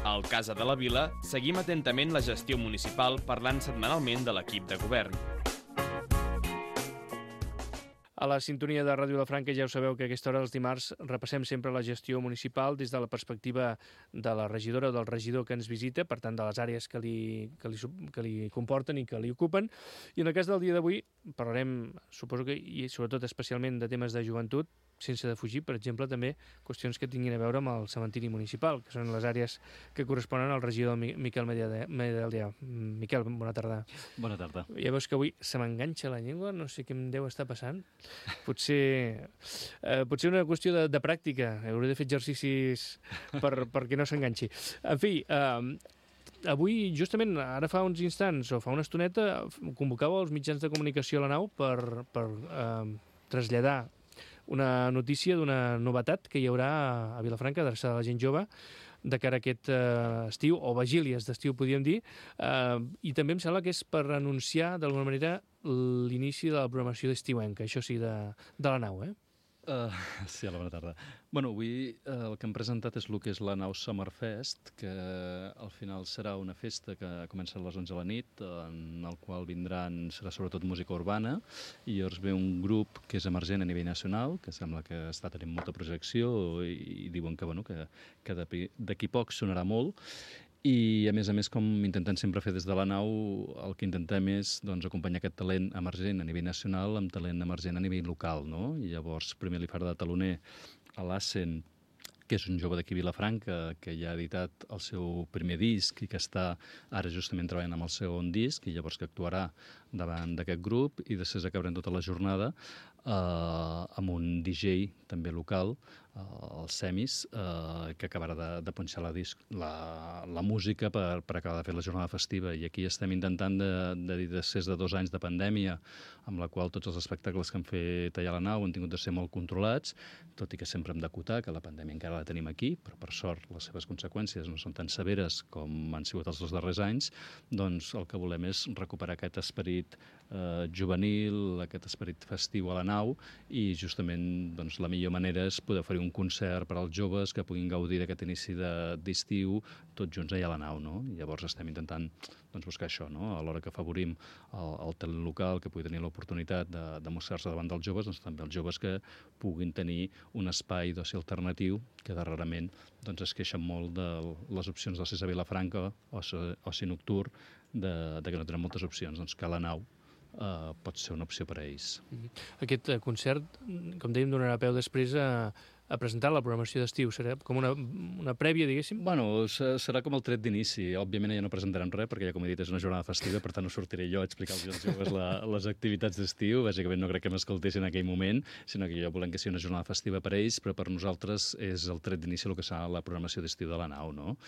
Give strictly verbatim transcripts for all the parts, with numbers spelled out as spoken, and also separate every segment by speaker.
Speaker 1: Al Casa de la Vila seguim atentament la gestió municipal parlant setmanalment de l'equip de govern.
Speaker 2: A la sintonia de Ràdio Vilafranca ja ho sabeu que a aquesta hora dels dimarts repassem sempre la gestió municipal des de la perspectiva de la regidora o del regidor que ens visita, per tant de les àrees que li, que li, que li comporten i que li ocupen. I en el cas del dia d'avui parlarem, suposo que, i sobretot especialment de temes de joventut, sense defugir, per exemple, també qüestions que tinguin a veure amb el cementiri municipal, que són les àrees que corresponen al regidor Miquel Medaldea. Miquel, bona tarda.
Speaker 3: Bona tarda.
Speaker 2: Ja veus que avui se m'enganxa la llengua, no sé què em deu estar passant. Potser, eh, potser una qüestió de, de pràctica, hauré de fer exercicis per, perquè no s'enganxi. En fi, eh, avui, justament, ara fa uns instants o fa una estoneta, convocava els mitjans de comunicació a la nau per, per eh, traslladar una notícia d'una novetat que hi haurà a Vilafranca, adreçada a la gent jove, de cara a aquest eh, estiu, o vigílies d'estiu, podríem dir, eh, i també em sembla que és per anunciar, d'alguna manera, l'inici de la programació d'estiuenca, això sí, de, de la nau, eh?
Speaker 3: Uh, sí, hola, bona tarda. Bueno, avui uh, el que hem presentat és el que és la Nau Summerfest, que al final serà una festa que comença a les onze de la nit, en el qual vindran, serà sobretot música urbana, i llavors ve un grup que és emergent a nivell nacional, que sembla que està tenint molta projecció i, i diuen que, bueno, que, que d'aquí poc sonarà molt. I, a més a més, com intentem sempre fer des de la nau, el que intentem és doncs, acompanyar aquest talent emergent a nivell nacional amb talent emergent a nivell local, no? I llavors, primer li farà de taloner a l'Assen, que és un jove d'aquí Vilafranca, que ja ha editat el seu primer disc i que està ara justament treballant amb el segon disc, i llavors que actuarà davant d'aquest grup, i després acabarem tota la jornada eh, amb un D J també local, eh, el Semis, eh, que acabarà de, de punxar la, disc, la, la música per, per acabar de fer la jornada festiva. I aquí estem intentant, de, de, després de dos anys de pandèmia, amb la qual tots els espectacles que han fet allà a la nau han tingut de ser molt controlats, tot i que sempre hem d'acotar que la pandèmia encara la tenim aquí, però per sort les seves conseqüències no són tan severes com han sigut els dos darrers anys, doncs el que volem és recuperar aquest esperit eh, juvenil, aquest esperit festiu a la nau, i justament doncs, la millor manera és poder oferir un concert per als joves que puguin gaudir d'aquest inici d'estiu tots junts allà a la nau, no? I llavors estem intentant doncs, buscar això, no? A l'hora que afavorim el, el talent local que pugui tenir l'oportunitat de, de mostrar-se davant dels joves, doncs també els joves que puguin tenir un espai d'oci alternatiu, que darrerament doncs, es queixen molt de les opcions d'oci a Vilafranca, oci, oci nocturn, de, de que no tenen moltes opcions, doncs que la nau eh, pot ser una opció per a ells.
Speaker 2: Aquest concert, com dèiem, donarà peu després a, a presentar la programació d'estiu. Serà com una, una prèvia, diguéssim?
Speaker 3: Bueno, serà com el tret d'inici. Òbviament ja no presentarem res, perquè ja com he dit és una jornada festiva, per tant no sortiré jo a explicar als joves la, les activitats d'estiu. Bàsicament no crec que m'escoltessin en aquell moment, sinó que jo volem que sigui una jornada festiva per a ells, però per nosaltres és el tret d'inici el que serà la programació d'estiu de la nau, no?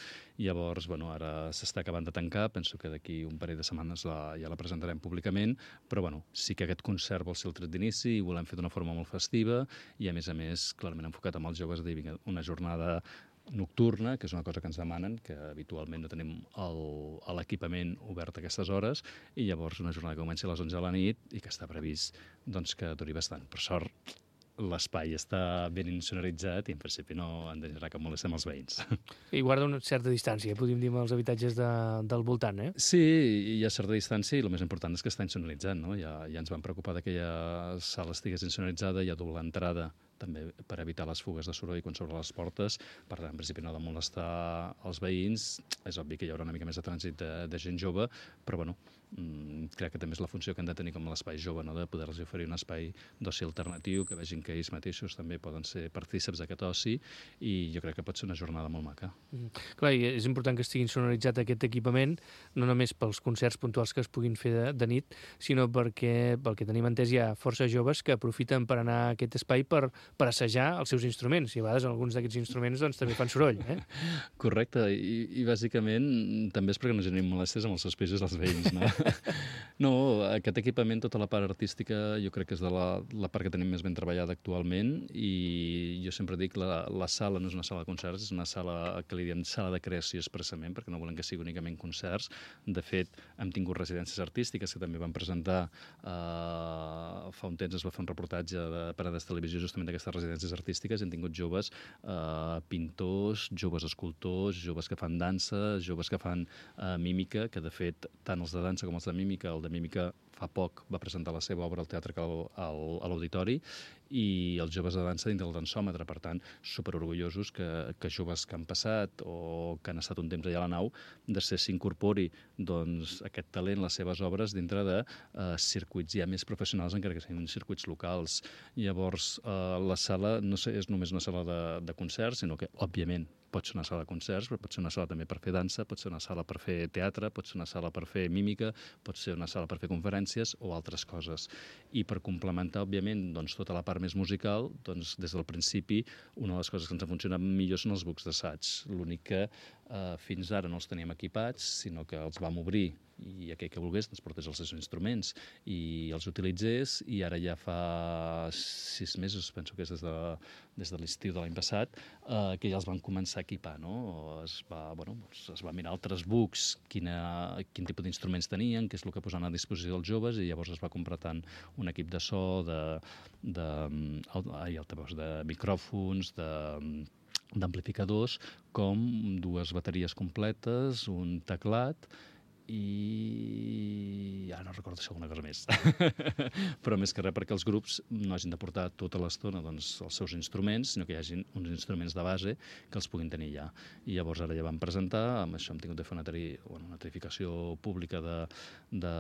Speaker 3: Llavors, bueno, ara s'està acabant de tancar, penso que d'aquí un parell de setmanes la, ja la presentarem públicament, però bueno, sí que aquest concert vol ser el tret d'inici i volem fer d'una forma molt festiva i, a més a més, clarament enfocat amb els joves, de una jornada nocturna, que és una cosa que ens demanen, que habitualment no tenim l'equipament obert a aquestes hores, i llavors una jornada que comença a les onze de la nit i que està previst doncs, que duri bastant. Per sort, l'espai està ben insonoritzat i en principi no en generarà cap molèstia amb els veïns.
Speaker 2: I guarda una certa distància, podríem dir, amb els habitatges de, del voltant, eh?
Speaker 3: Sí, hi ha certa distància i el més important és que està insonoritzat, no? Ja, ja ens vam preocupar que aquella sala estigués insonoritzada, hi ha doble entrada també per evitar les fugues de soroll quan s'obren les portes, per tant, en principi no ha de molestar els veïns. És obvi que hi haurà una mica més de trànsit de, de gent jove, però bueno, mmm, crec que també és la funció que han de tenir com l'espai jove, no? De poder-los oferir un espai d'oci alternatiu, que vegin que ells mateixos també poden ser partíceps d'aquest oci, i jo crec que pot ser una jornada molt maca.
Speaker 2: Mm. Clar, i és important que estigui sonoritzat aquest equipament, no només pels concerts puntuals que es puguin fer de, de nit, sinó perquè, pel que tenim entès, hi ha força joves que aprofiten per anar a aquest espai per per assajar els seus instruments, i a vegades alguns d'aquests instruments doncs, també fan soroll. Eh?
Speaker 3: Correcte, I, i bàsicament també és perquè no generin molèsties amb els seus pisos dels veïns, no? No, aquest equipament, tota la part artística, jo crec que és de la, la part que tenim més ben treballada actualment, i jo sempre dic la, la sala no és una sala de concerts, és una sala que li diem sala de creació expressament, perquè no volem que sigui únicament concerts. De fet, hem tingut residències artístiques que també van presentar, eh, fa un temps es va fer un reportatge de Parades Televisió justament d'aquestes residències artístiques, hem tingut joves eh, pintors, joves escultors, joves que fan dansa, joves que fan eh, mímica, que de fet tant els de dansa com els de mímica, el de mímica fa poc va presentar la seva obra al Teatre Cal al, a l'Auditori, i els joves de dansa dins del dansòmetre. Per tant, superorgullosos que, que joves que han passat o que han estat un temps allà a la nau, després s'incorpori doncs, aquest talent, les seves obres, dintre de eh, circuits ja més professionals, encara que siguin circuits locals. Llavors, eh, la sala no sé, és només una sala de, de concerts, sinó que, òbviament, pot ser una sala de concerts, però pot ser una sala també per fer dansa, pot ser una sala per fer teatre, pot ser una sala per fer mímica, pot ser una sala per fer conferències o altres coses. I per complementar, òbviament, doncs, tota la part més musical, doncs, des del principi, una de les coses que ens ha funcionat millor són els bucs d'assaig. L'únic que eh, fins ara no els teníem equipats, sinó que els vam obrir i aquell que volgués doncs, portés els seus instruments i els utilitzés, i ara ja fa sis mesos, penso que és des de, des de l'estiu de l'any passat, eh, que ja els van començar a equipar, no? Es va, bueno, es va mirar altres bucs, quina, quin tipus d'instruments tenien, què és el que posaven a disposició dels joves, i llavors es va comprar tant un equip de so, de, de, ai, altaveus, de micròfons, de d'amplificadors, com dues bateries completes, un teclat, i ara no recordo si alguna cosa més. Però més que res perquè els grups no hagin de portar tota l'estona doncs, els seus instruments, sinó que hi hagin uns instruments de base que els puguin tenir ja. I llavors ara ja vam presentar, amb això hem tingut de fer una, tari, bueno, una tarificació pública de, de,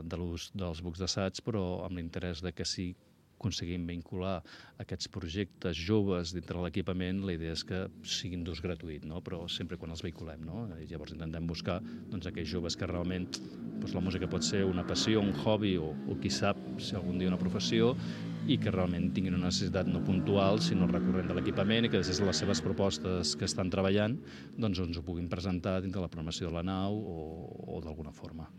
Speaker 3: de l'ús dels bucs d'assaig, però amb l'interès de que sí aconseguim vincular aquests projectes joves dintre l'equipament, la idea és que siguin d'ús gratuït, no? Però sempre quan els vehiculem, no? I llavors intentem buscar doncs, aquells joves que realment doncs, la música pot ser una passió, un hobby o, o qui sap si algun dia una professió, i que realment tinguin una necessitat no puntual sinó recurrent de l'equipament, i que des de les seves propostes que estan treballant doncs ens ho puguin presentar dintre la programació de la nau o, o d'alguna forma.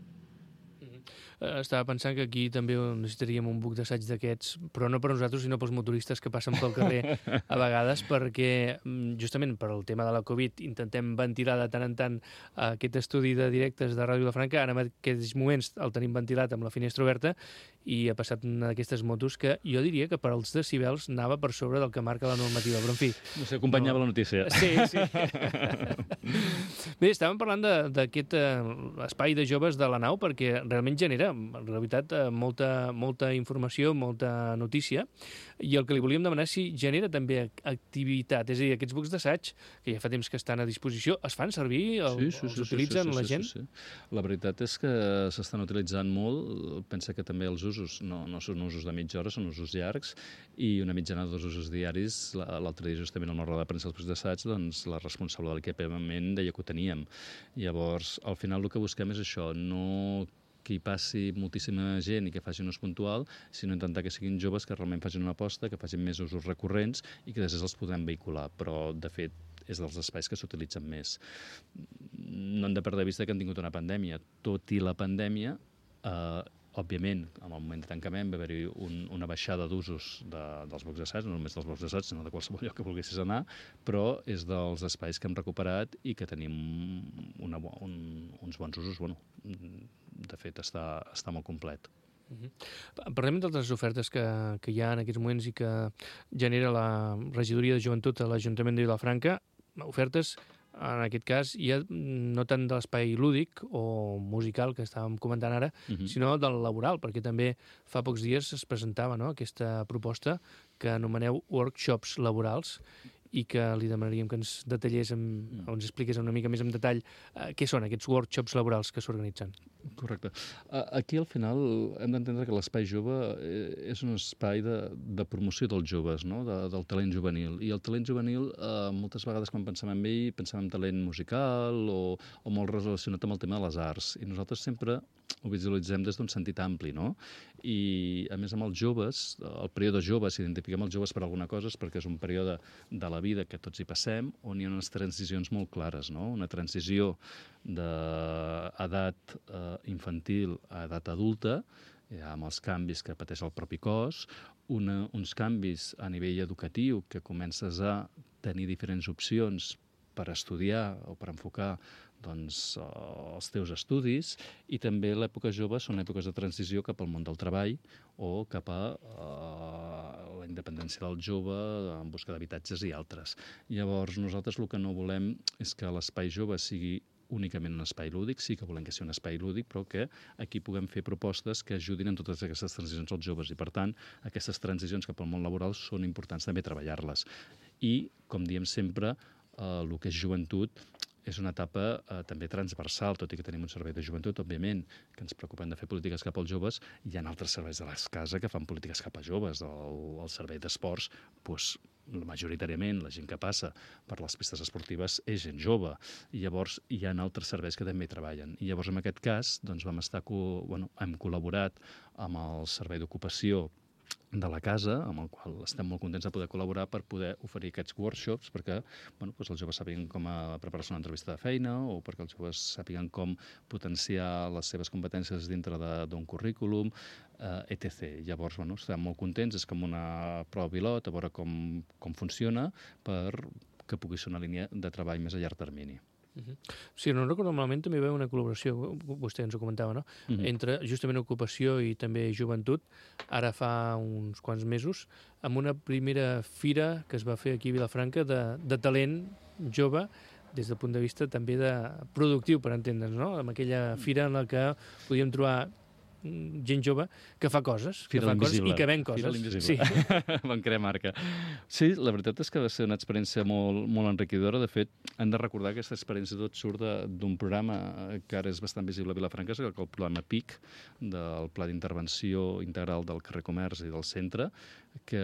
Speaker 2: Estava pensant que aquí també necessitaríem un buc d'assaig d'aquests, però no per nosaltres, sinó pels motoristes que passen pel carrer a vegades, perquè justament per al tema de la Covid intentem ventilar de tant en tant aquest estudi de directes de Ràdio Vilafranca. Ara en aquests moments el tenim ventilat amb la finestra oberta i ha passat una d'aquestes motos que jo diria que per als decibels anava per sobre del que marca la normativa, però en fi...
Speaker 3: No sé, acompanyava no... la notícia.
Speaker 2: Sí, sí. Bé, estàvem parlant d'aquest eh, espai de joves de la nau perquè realment genera en realitat, molta, molta informació, molta notícia, i el que li volíem demanar és si genera també activitat, és a dir, aquests bucs d'assaig, que ja fa temps que estan a disposició, es fan servir? El, sí, sí, els sí, utilitzen sí, sí, la gent?
Speaker 3: Sí, sí, sí. La veritat és que s'estan utilitzant molt, pensa que també els usos no, no són usos de mitja hora, són usos llargs, i una mitjana de dos usos diaris. L'altre dia, justament, en una roda de premsa dels bucs d'assaig, doncs la responsable de l'equipament deia que ho teníem. Llavors, al final el que busquem és això, no que hi passi moltíssima gent i que faci un ús puntual, sinó intentar que siguin joves que realment facin una aposta, que facin més usos recurrents i que després els podem vehicular. Però, de fet, és dels espais que s'utilitzen més. No hem de perdre de vista que hem tingut una pandèmia. Tot i la pandèmia, eh, òbviament, en el moment de tancament va haver-hi un, una baixada d'usos de, dels bucs d'assaig, no només dels bucs d'assaig, sinó de qualsevol lloc que volguessis anar, però és dels espais que hem recuperat i que tenim una, un, uns bons usos. Bueno, de fet, està, està molt complet.
Speaker 2: Uh-huh. Parlem d'altres ofertes que, que hi ha en aquests moments i que genera la Regidoria de Joventut a l'Ajuntament de Vilafranca, ofertes en aquest cas, ja no tant de l'espai lúdic o musical que estàvem comentant ara, uh-huh. sinó del laboral, perquè també fa pocs dies es presentava, no?, aquesta proposta que anomeneu workshops laborals i que li demanaríem que ens detallés, amb, o ens expliqués una mica més en detall eh, què són aquests workshops laborals que s'organitzen.
Speaker 3: Correcte. Aquí, al final, hem d'entendre que l'espai jove és un espai de, de promoció dels joves, no?, de, del talent juvenil. I el talent juvenil, eh, moltes vegades quan pensem en ell, pensem en talent musical o, o molt relacionat amb el tema de les arts. I nosaltres sempre ho visualitzem des d'un sentit ampli, no? I, a més, amb els joves, el període jove, si identifiquem els joves per alguna cosa, és perquè és un període de la vida que tots hi passem, on hi ha unes transicions molt clares, no? Una transició d'edat eh, infantil a edat adulta, ja amb els canvis que pateix el propi cos, una, uns canvis a nivell educatiu que comences a tenir diferents opcions per estudiar o per enfocar doncs, els teus estudis, i també l'època jove són èpoques de transició cap al món del treball o cap a uh, la independència del jove en busca d'habitatges i altres. Llavors, nosaltres el que no volem és que l'espai jove sigui únicament un espai lúdic, sí que volem que sigui un espai lúdic, però que aquí puguem fer propostes que ajudin en totes aquestes transicions als joves, i per tant, aquestes transicions cap al món laboral són importants també treballar-les. I, com diem sempre, eh, el que és joventut és una etapa eh, també transversal, tot i que tenim un servei de joventut, òbviament, que ens preocupem de fer polítiques cap als joves. Hi ha altres serveis de les cases que fan polítiques cap a joves. El, el servei d'esports, doncs, majoritàriament, la gent que passa per les pistes esportives és gent jove. I llavors hi ha altres serveis que també treballen. I llavors, en aquest cas, doncs, vam estar, bueno, hem col·laborat amb el servei d'ocupació de la casa, amb el qual estem molt contents de poder col·laborar per poder oferir aquests workshops perquè bueno, doncs els joves sàpiguen com a preparar-se una entrevista de feina o perquè els joves sàpiguen com potenciar les seves competències dintre d'un currículum, eh, etcètera. Llavors, bueno, estem molt contents, és com una prova pilot, a veure com, com funciona per que pugui ser una línia de treball més a llarg termini.
Speaker 2: Uh-huh. Si no recordo malament, també hi va una col·laboració, vostè ens ho comentava, no? Uh-huh. Entre justament ocupació i també joventut, ara fa uns quants mesos, amb una primera fira que es va fer aquí a Vilafranca de, de talent jove, des del punt de vista també de productiu, per entendre'ns, no? Amb aquella fira en la que podíem trobar gent jove que fa coses, que fa coses i que ven coses.
Speaker 3: Fira l'invisible. Sí. Van crear marca. Sí, la veritat és que va ser una experiència molt, molt enriquidora. De fet, hem de recordar que aquesta experiència tot surt d'un programa que ara és bastant visible a Vilafranca, que és el programa P I C, del Pla d'Intervenció Integral del Carrer Comerç i del Centre, que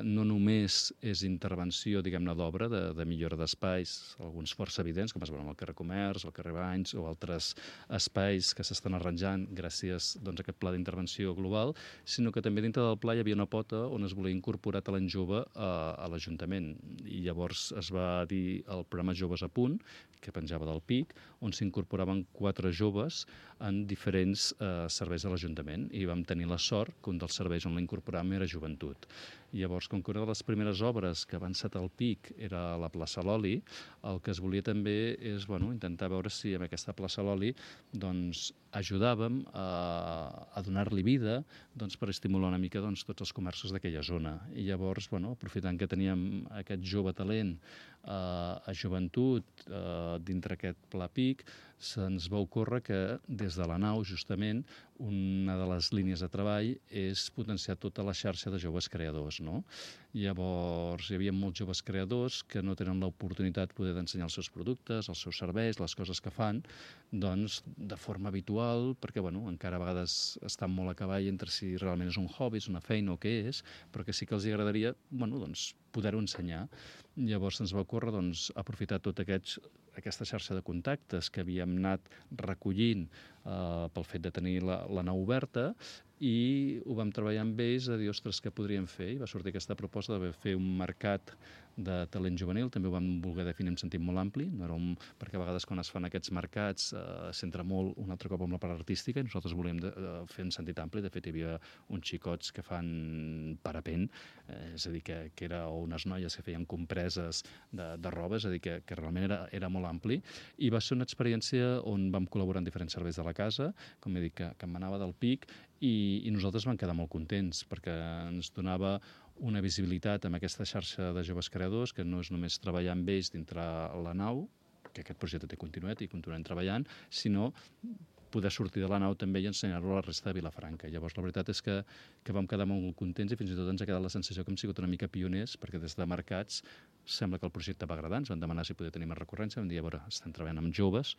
Speaker 3: no només és intervenció, diguem-ne, d'obra, de, de millora d'espais, alguns força evidents, com es veuen al carrer Comerç, al carrer Banys, o altres espais que s'estan arranjant gràcies doncs, a aquest pla d'intervenció global, sinó que també dintre del pla hi havia una pota on es volia incorporar talent jove a, a l'Ajuntament. I llavors es va dir el programa Joves a Punt, que penjava del P I C, on s'incorporaven quatre joves en diferents eh, serveis de l'Ajuntament, i vam tenir la sort que un dels serveis on l'incorporàvem era joventut. I llavors, com que una de les primeres obres que va encetar el P I C era a la plaça Loli, el que es volia també és bueno, intentar veure si amb aquesta plaça Loli doncs, ajudàvem a, a donar-li vida doncs, per estimular una mica doncs, tots els comerços d'aquella zona. I llavors, bueno, aprofitant que teníem aquest jove talent eh, a joventut eh, dintre aquest pla P I C, se'ns va ocórrer que des de la nau, justament, una de les línies de treball és potenciar tota la xarxa de joves creadors, no? Llavors, hi havia molts joves creadors que no tenen l'oportunitat de poder ensenyar els seus productes, els seus serveis, les coses que fan, doncs, de forma habitual, perquè, bueno, encara a vegades estan molt a cavall entre si realment és un hobby, és una feina o què és, però que sí que els agradaria, bueno, doncs, poder-ho ensenyar. Llavors ens va ocórrer doncs, aprofitar tota aquests, aquesta xarxa de contactes que havíem anat recollint eh, pel fet de tenir la, la nau oberta, i ho vam treballar amb ells a dir, ostres, què podríem fer? I va sortir aquesta proposta de fer un mercat de talent juvenil, també ho vam voler definir en sentit molt ampli, no era un... perquè a vegades quan es fan aquests mercats eh, s'entra molt un altre cop amb la part artística, i nosaltres volíem de, de fer en sentit ampli. De fet, hi havia uns xicots que fan parapent, eh, és a dir, que, que era, o unes noies que feien compreses de, de roba, és a dir, que, que realment era, era molt ampli, i va ser una experiència on vam col·laborar en diferents serveis de la casa, com he dit, que, que emanava del P I C, i, i nosaltres vam quedar molt contents, perquè ens donava una visibilitat amb aquesta xarxa de joves creadors, que no és només treballar amb ells dintre la nau, que aquest projecte té continuïtat i continuem treballant, sinó poder sortir de la nau també i ensenyar-lo a la resta de Vilafranca. Llavors, la veritat és que, que vam quedar molt contents, i fins i tot ens ha quedat la sensació que hem sigut una mica pioners, perquè des de mercats sembla que el projecte va agradar. Ens van demanar si podia tenir més recurrència. Vam dir, a veure, estem treballant amb joves,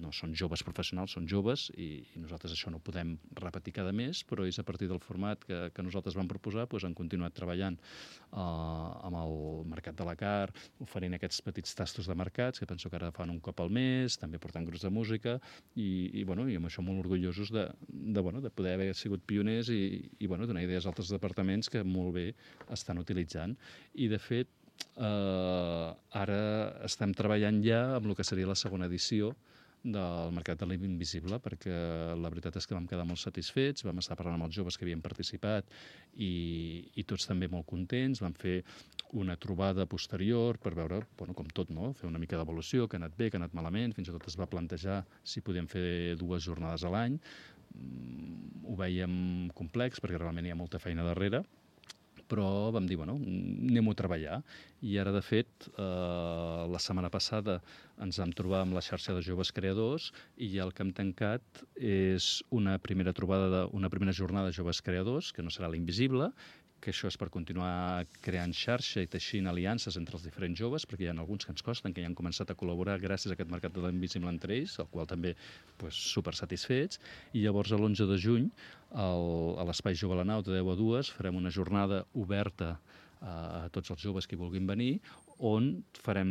Speaker 3: no són joves professionals, són joves, i, i nosaltres això no ho podem repetir cada mes, però és a partir del format que, que nosaltres vam proposar, doncs hem continuat treballant eh, amb el mercat de la car, oferint aquests petits tastos de mercats, que penso que ara fan un cop al mes, també portant grups de música, i, i, bueno, i amb això molt orgullosos de, de, bueno, de poder haver sigut pioners i, i bueno, donar idees a altres departaments que molt bé estan utilitzant. I, de fet, eh, ara estem treballant ja amb el que seria la segona edició del mercat de l'invisible, perquè la veritat és que vam quedar molt satisfets, vam estar parlant amb els joves que havien participat i, i tots també molt contents, vam fer una trobada posterior per veure, bueno, com tot, no? Fer una mica d'evolució, que ha anat bé, que ha anat malament, fins i tot es va plantejar si podíem fer dues jornades a l'any. Ho veiem complex perquè realment hi ha molta feina darrere, però vam dir, bueno, anem-ho a treballar. I ara, de fet, eh, la setmana passada ens vam trobar amb la xarxa de joves creadors i ja el que hem tancat és una primera trobada, de, una primera jornada de joves creadors, que no serà l'Invisible, que això és per continuar creant xarxa i teixint aliances entre els diferents joves, perquè hi ha alguns que ens costen, que ja han començat a col·laborar gràcies a aquest mercat de l'invisible entre ells, el qual també pues, super satisfets. I llavors, l'onze de juny, el, a l'Espai Jove a la Nau, de deu a dues, farem una jornada oberta a tots els joves que vulguin venir, on farem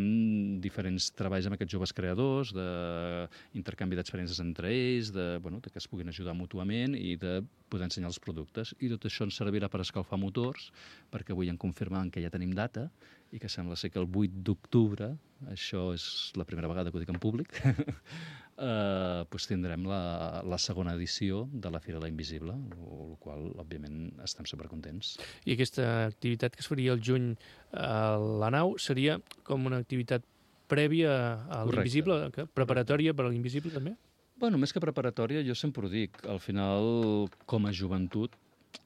Speaker 3: diferents treballs amb aquests joves creadors, d'intercanvi d'experiències entre ells, de, bueno, de que es puguin ajudar mútuament i de poder ensenyar els productes. I tot això ens servirà per escalfar motors, perquè avui en confirmant que ja tenim data i que sembla ser que el vuit d'octubre, això és la primera vegada que ho dic en públic, eh, doncs tindrem la, la segona edició de la Fira de l'Invisible, el qual, òbviament, estem supercontents.
Speaker 2: I aquesta activitat que es faria el juny a la nau seria com una activitat prèvia a l'Invisible, preparatòria per a l'Invisible, també?
Speaker 3: Bueno, més que preparatòria, jo sempre ho dic. Al final, com a joventut,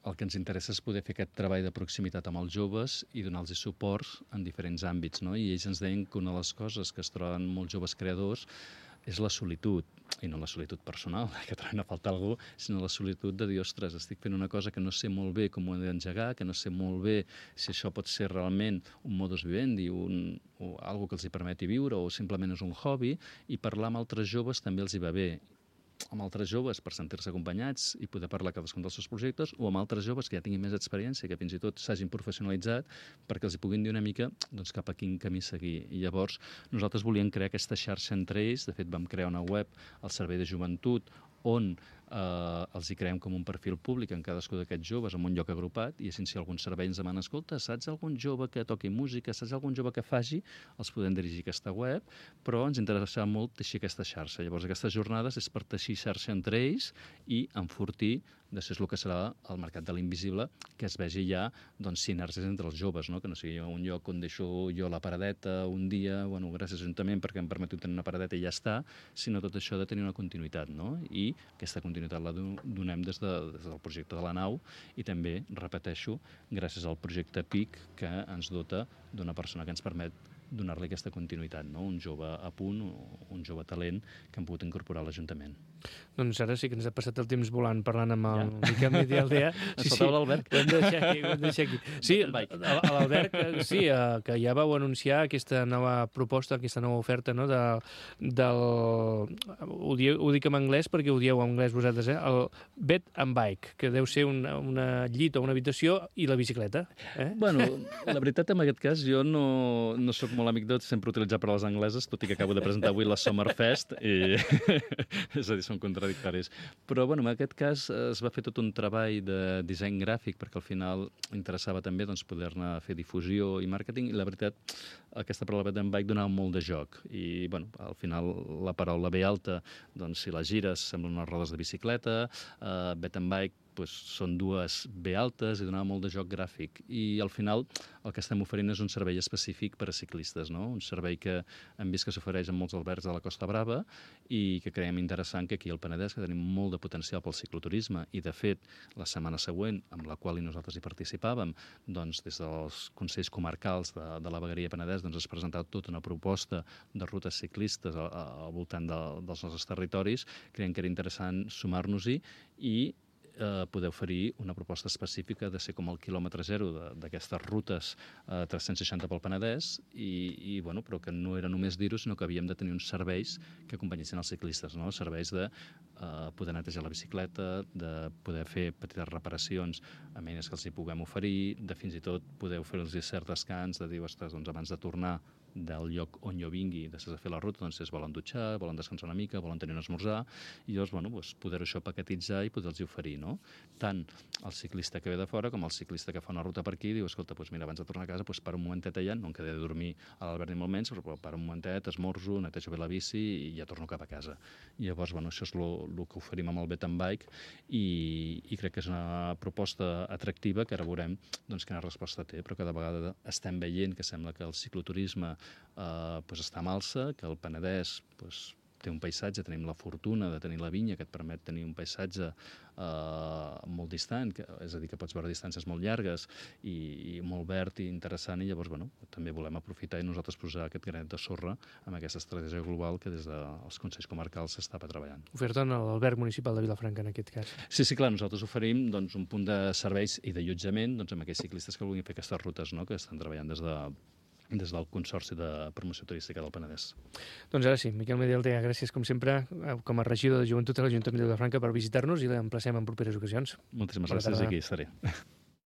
Speaker 3: el que ens interessa és poder fer aquest treball de proximitat amb els joves i donar-los suports en diferents àmbits, no? I ells ens deien que una de les coses que es troben molts joves creadors és la solitud, i no la solitud personal, que troben a faltar algú, sinó la solitud de dir, ostres, estic fent una cosa que no sé molt bé com ho he d'engegar, que no sé molt bé si això pot ser realment un modus vivendi, un, o algo que els hi permeti viure, o simplement és un hobby, i parlar amb altres joves també els hi va bé. Amb altres joves per sentir-se acompanyats i poder parlar cadascun dels seus projectes, o amb altres joves que ja tinguin més experiència, que fins i tot s'hagin professionalitzat, perquè els hi puguin dir una mica doncs, cap a quin camí seguir. I llavors nosaltres volíem crear aquesta xarxa entre ells. De fet, vam crear una web al Servei de Joventut on eh, els hi creem com un perfil públic en cadascú d'aquests joves en un lloc agrupat, i així si algun servei ens demana, escolta, saps algun jove que toqui música, saps algun jove que faci, els podem dirigir a aquesta web, però ens interessa molt teixir aquesta xarxa. Llavors aquestes jornades és per teixir xarxa entre ells i enfortir després el que serà el mercat de l'invisible, que es vegi ja doncs, sinergies entre els joves, no? Que no sigui un lloc on deixo jo la paradeta un dia, bueno, gràcies a l'Ajuntament perquè em permeto tenir una paradeta i ja està, sinó tot això ha de tenir una continuïtat, no? I aquesta continuïtat la donem des, de, des del projecte de la nau i també, repeteixo, gràcies al projecte P I C, que ens dota d'una persona que ens permet donar-li aquesta continuïtat, no? Un jove a punt, un jove talent que hem pogut incorporar a l'Ajuntament.
Speaker 2: Doncs ara sí que ens ha passat el temps volant parlant amb el ja. Miquel Mitialdea.
Speaker 3: Sí, sí, l'Albert.
Speaker 2: Ho hem de deixar aquí, ho hem de deixar aquí. Sí, l'Albert, sí, que ja vau anunciar aquesta nova proposta, aquesta nova oferta, no? De, del... Ho, dieu, ho dic en anglès perquè ho dieu en anglès vosaltres, eh? El Bed and Bike, que deu ser una, una llit o una habitació i la bicicleta. Eh?
Speaker 3: Bueno, la veritat, en aquest cas, jo no, no sóc molt amic de sempre utilitzar paraules angleses, tot i que acabo de presentar avui la Summerfest, i és a dir, són contradictoris. Però, bueno, en aquest cas es va fer tot un treball de disseny gràfic, perquè al final interessava també doncs, poder-ne fer difusió i màrqueting, i la veritat, aquesta paraula Bed and Bike donava molt de joc. I, bueno, al final la paraula B alta, doncs, si la gires, semblen unes rodes de bicicleta, uh, Bed and Bike, doncs, són dues B altes i donava molt de joc gràfic. I al final el que estem oferint és un servei específic per a ciclistes, no? Un servei que hem vist que s'ofereix en molts albergs de la Costa Brava i que creiem interessant que aquí al Penedès, que tenim molt de potencial pel cicloturisme, i de fet la setmana següent, amb la qual nosaltres hi participàvem, doncs des dels Consells Comarcals de, de la Vegueria Penedès doncs es presentava tota una proposta de rutes ciclistes al, al voltant de, dels nostres territoris. Creiem que era interessant sumar-nos-hi i Eh, poder oferir una proposta específica de ser com el quilòmetre zero d'aquestes rutes eh, tres-cents seixanta pel Penedès i, i bueno, però que no era només dir-ho, sinó que havíem de tenir uns serveis que acompanyessin els ciclistes, no? Serveis de eh, poder netejar la bicicleta, de poder fer petites reparacions a eines que els hi puguem oferir, de fins i tot poder oferir-los cert descans, de dir, ostres, doncs abans de tornar del lloc on jo vingui, després de fer la ruta, doncs es volen dutxar, volen descansar una mica, volen tenir un esmorzar, i llavors, bueno, doncs, poder-ho això paquetitzar i poder-los oferir, no? Tant el ciclista que ve de fora com el ciclista que fa una ruta per aquí, diu, escolta, doncs mira, abans de tornar a casa, doncs per un momentet allà, no em quedaré a dormir a l'Albert ni molt menys, però per un momentet esmorzo, netejo bé la bici i ja torno cap a casa. I llavors, bueno, això és el que oferim amb el Bet and Bike i, i crec que és una proposta atractiva que ara veurem doncs, quina resposta té, però cada vegada estem veient que sembla que el cicloturisme eh, pues està en alça, que el Penedès pues, té un paisatge, tenim la fortuna de tenir la vinya que et permet tenir un paisatge eh, molt distant, que, és a dir, que pots veure distàncies molt llargues i, i molt verd i interessant, i llavors bueno, també volem aprofitar i nosaltres posar aquest granet de sorra amb aquesta estratègia global que des dels Consells Comarcals s'estava treballant.
Speaker 2: Oferta en l'alberg municipal de Vilafranca, en aquest cas.
Speaker 3: Sí, sí, clar, nosaltres oferim doncs, un punt de serveis i d'allotjament doncs, amb aquells ciclistes que vulguin fer aquestes rutes, no?, que estan treballant des de des del Consorci de Promoció Turística del Penedès.
Speaker 2: Doncs ara sí, Miquel Medialtea, gràcies com sempre com a regidor de Joventut a l'Ajuntament de Vilafranca per visitar-nos i l'emplacem en properes ocasions.
Speaker 3: Moltíssimes gràcies i aquí estaré.